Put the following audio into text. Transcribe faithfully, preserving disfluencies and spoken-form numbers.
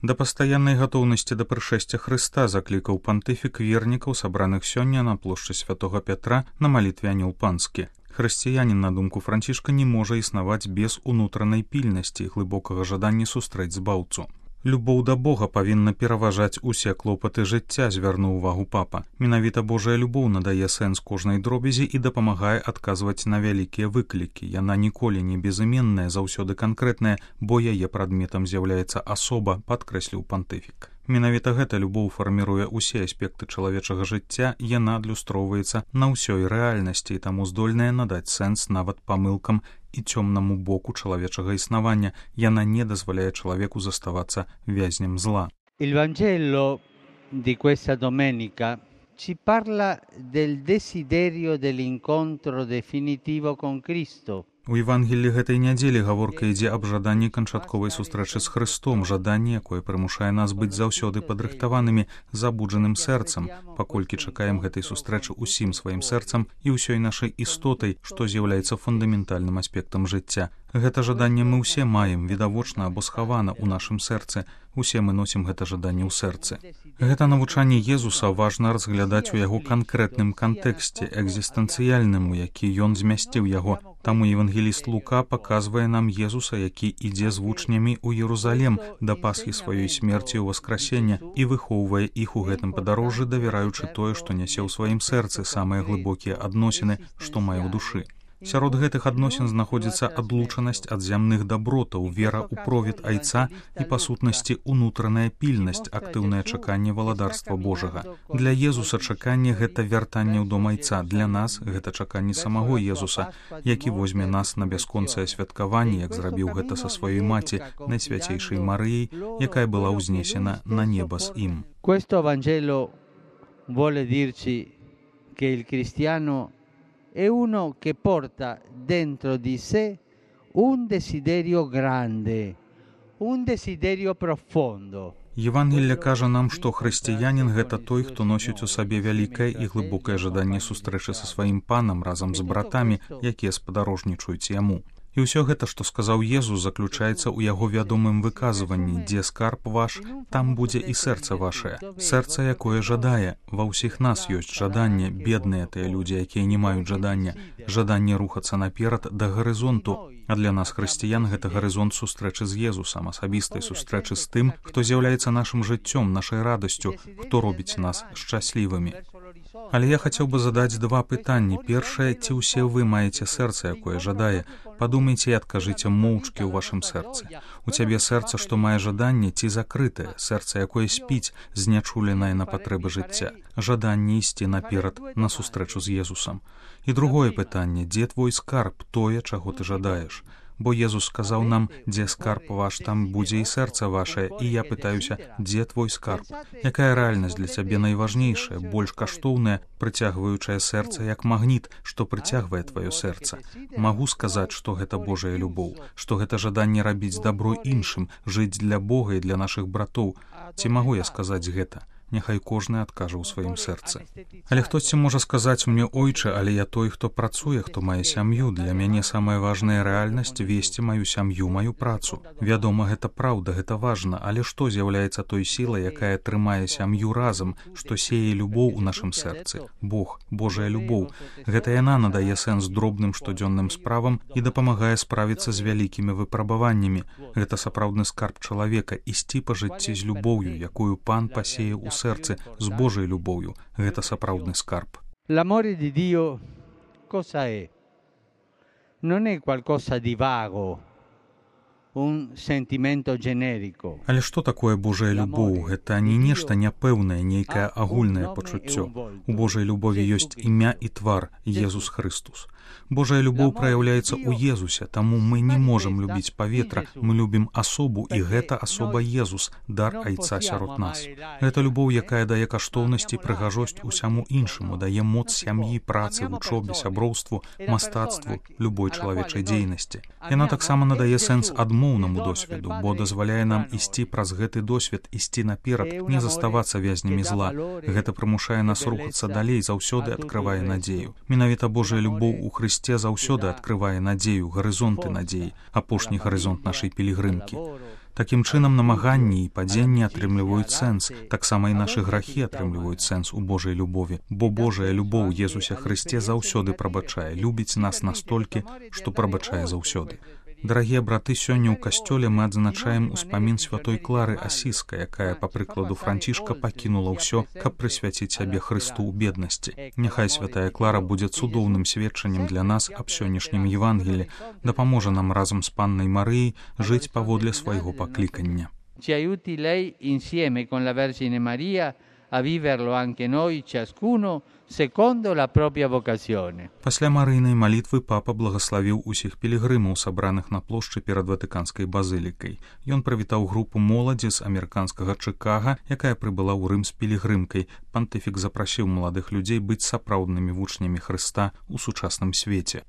Да пастаяннай гатоўнасці да прышэсця Хрыста заклікаў пантыфік вернікаў, сабраных сёння на плошчы святога Пятра на малітве Анёл Панскі. Хрысціянін, на думку Францішка, не можа існаваць без унутранай пільнасці і глыбокага жадання сустрэць збаўцу. Любоў да Бога павінна пераважаць усе клопаты жыцця, звярнуў увагу папа. Менавіта Божая любоў надае сэнс кожнай дробязі і дапамагае адказваць на вялікія выклікі. Яна ніколі не безыменная, заўсёды канкрэтная, бо яе прадметам з'яўляецца асоба, падкрэсліў пантыфік. Менавіта гэта любоў фарміруе ўсе аспекты чалавечага жыцця, яна адлюстроўваецца на ўсёй рэальнасці і таму здольная надаць сэнс нават памылкам і цёмнаму боку чалавечага існавання. Яна не дазваляе чалавеку заставацца вязнем зла. Il Vangelo di questa domenica ci parla del desiderio dell'incontro definitivo con Cristo. У Евангеллі гэтай нядзелі гаворка ідзе аб жаданні канчатковай сустрэчы з Хрыстом, жаданні, якое прымушае нас быць заўсёды падрыхтаванымі, забуджаным сэрцам, паколькі чакаем гэтай сустрэчы ўсім сваім сэрцам і ўсёй нашай істотай, што з'яўляецца фундаментальным аспектам жыцця. Гэта жаданне мы ўсе маем, відавочна або схавана ў нашым сэрцы. Усе мы носім гэта жаданне ў сэрцы. Гэта навучанне Езуса важна разглядаць у яго канкрэтным кантэксце, экзістэнцыяльным, у які ён змясціў яго. Таму евангеліст Лука паказвае нам Езуса, які ідзе з вучнямі ў Єрусалем да Пасхі сваёй смерці ў васкрасення і выхоўвае іх у гэтым падарожжы, давяраючы тое, што нясе ў сваім сэрцы самыя глыбокія адносіны, што мае ў душы. Сярод гэтых адносін знаходзіцца адлучанасць ад зямных дабротаў, вера ў провід Айца і, па сутнасці, унутраная пільнасць, актыўнае чаканне валадарства Божага. Для Езуса чаканне — гэта вяртанне ў дом Айца, для нас гэта чаканне самого Езуса, які возьме нас на бясконцае святкаванне, як зрабіў гэта са сваёй маці, Найсвяцейшай Марыяй, якая была ўзнесена на неба з ім. Questo Vangelo vuole dirci che il cristiano è uno che porta dentro di sé un desiderio grande, un desiderio profondo. Євангелле кажа нам, што хрысціянін — гэта той, хто носіць у сабе вялікае і глыбокае жаданне сустрэчы са сваім панам разам з братамі, якія спадарожнічаюць яму. І ўсё гэта, што сказаў Езус, заключаецца ў яго вядомым выказванні: «Дзе скарб ваш, там будзе і сэрца вашае». Сэрца, якое жадае. Ва ўсіх нас ёсць жаданне, бедныя тыя людзі, якія не маюць жадання. Жаданне рухацца наперад да гарызонту. А для нас, хрысціян, гэта гарызонт сустрэчы з Езусам, асабістай сустрэчы з тым, хто з'яўляецца нашым жыццём, нашай радасцю, хто робіць нас шчаслівымі. Але я хацеў бы задаць два пытанні. Першае, ці ўсе вы маеце сэрца, якое жадае? Падумайце і адкажыце моўчкі ў вашым сэрцы. У цябе сэрца, што мае жаданне, ці закрытае, сэрца, якое спіць, знячуленае на патрэбы жыцця, жаданне ісці наперад на сустрэчу з Езусам. І другое пытанне: дзе твой скарб, тое, чаго ты жадаеш? Бо Езус сказаў нам: «Дзе скарб ваш, там будзе і сэрца вашае». І я пытаюся: дзе твой скарб? Якая рэальнасць для цябе найважнейшая, больш каштоўная, прыцягваючая сэрца як магніт, што прыцягвае тваё сэрца? Магу сказаць, што гэта Божая любоў, што гэта жаданне рабіць дабро іншым, жыць для Бога і для нашых братоў. Ці магу я сказаць гэта? Няхай кожны адкажа ў сваім сэрцы. Але хтосьці можа сказаць мне: «Ойче, але я той, хто працуе, хто мае сям'ю. Для мяне самая важная рэальнасць — весці маю сям'ю, маю працу». Вядома, гэта праўда, гэта важна, але што з'яўляецца той сілай, якая трымае сям'ю разам, што сее любоў у нашым сэрцы? Бог, Божая любоў. Гэта яна надае сэнс дробным штодзённым справам і дапамагае справіцца з вялікімі выпрабаваннямі. Гэта сапраўдны скарб чалавека — ісці па жыцці з любоўю, якую Пан пасее ў сэрцы, з Божай любоўю. Гэта сапраўдны скарб. L'amore di Dio cosa è? Non è qualcosa di vago, un sentimento generico. Але што такое Божая любоў? Гэта не нешта няпэўнае, нейкае агульнае пачуццё. У Божай любові ёсць імя і твар — Езус Хрыстус. Божая любоў праяўляецца ў Езусе, таму мы не можам любіць паветра, мы любім асобу, і гэта асоба Езус, дар Айца сярод нас. Гэта любоў, якая дае каштоўнасць і прыгажосць усяму іншаму, дае моц сям'і, працы, вучобе, сяброўству, мастацтву, любой чалавечай дзейнасці. Яна таксама надае сэнс адмоўнаму досведу, бо дазваляе нам ісці праз гэты досвед, ісці наперад, не заставацца вязнямі зла. Гэта прымушае нас рухацца далей, заўсёды адкрывае надзею. Менавіта Божая любоў у Хрысце заўсёды адкрывае надзею, гарызонты надзеі, апошні гарызонт нашай пілігрымкі. Такім чынам намаганні і падзенні атрымліваюць сэнс, таксама і нашы грахі атрымліваюць сэнс у Божай любові, бо Божая любоў Езуся Хрысце заўсёды прабачае, любіць нас настолькі, што прабачае заўсёды. Дарагія браты, сёння ў касцёле мы адзначаем успамін святой Клары Асіскай, якая, па прыкладу Францішка, пакінула ўсё, каб прысвяціць сябе Хрысту ў беднасці. Няхай святая Клара будзе цудоўным сведчаннем для нас аб сённяшнім Евангелі, дапаможа нам разам з паннай Марыяй жыць паводле свайго паклікання. Ci aiuti lei insieme con la Vergine Maria a viverlo anche noi, ciascuno secondo la propria vocazione. Пасля марыйнай малітвы папа благаславіў усіх пілігрымаў, сабраных на плошчы перад Ватыканскай базылікай. Ён прывітаў групу моладзі з амерыканскага Чыкага, якая прыбыла ў Рым з пілігрымкай. Пантыфік запрасіў маладых людзей быць сапраўднымі вучнямі Хрыста ў сучасным свеце.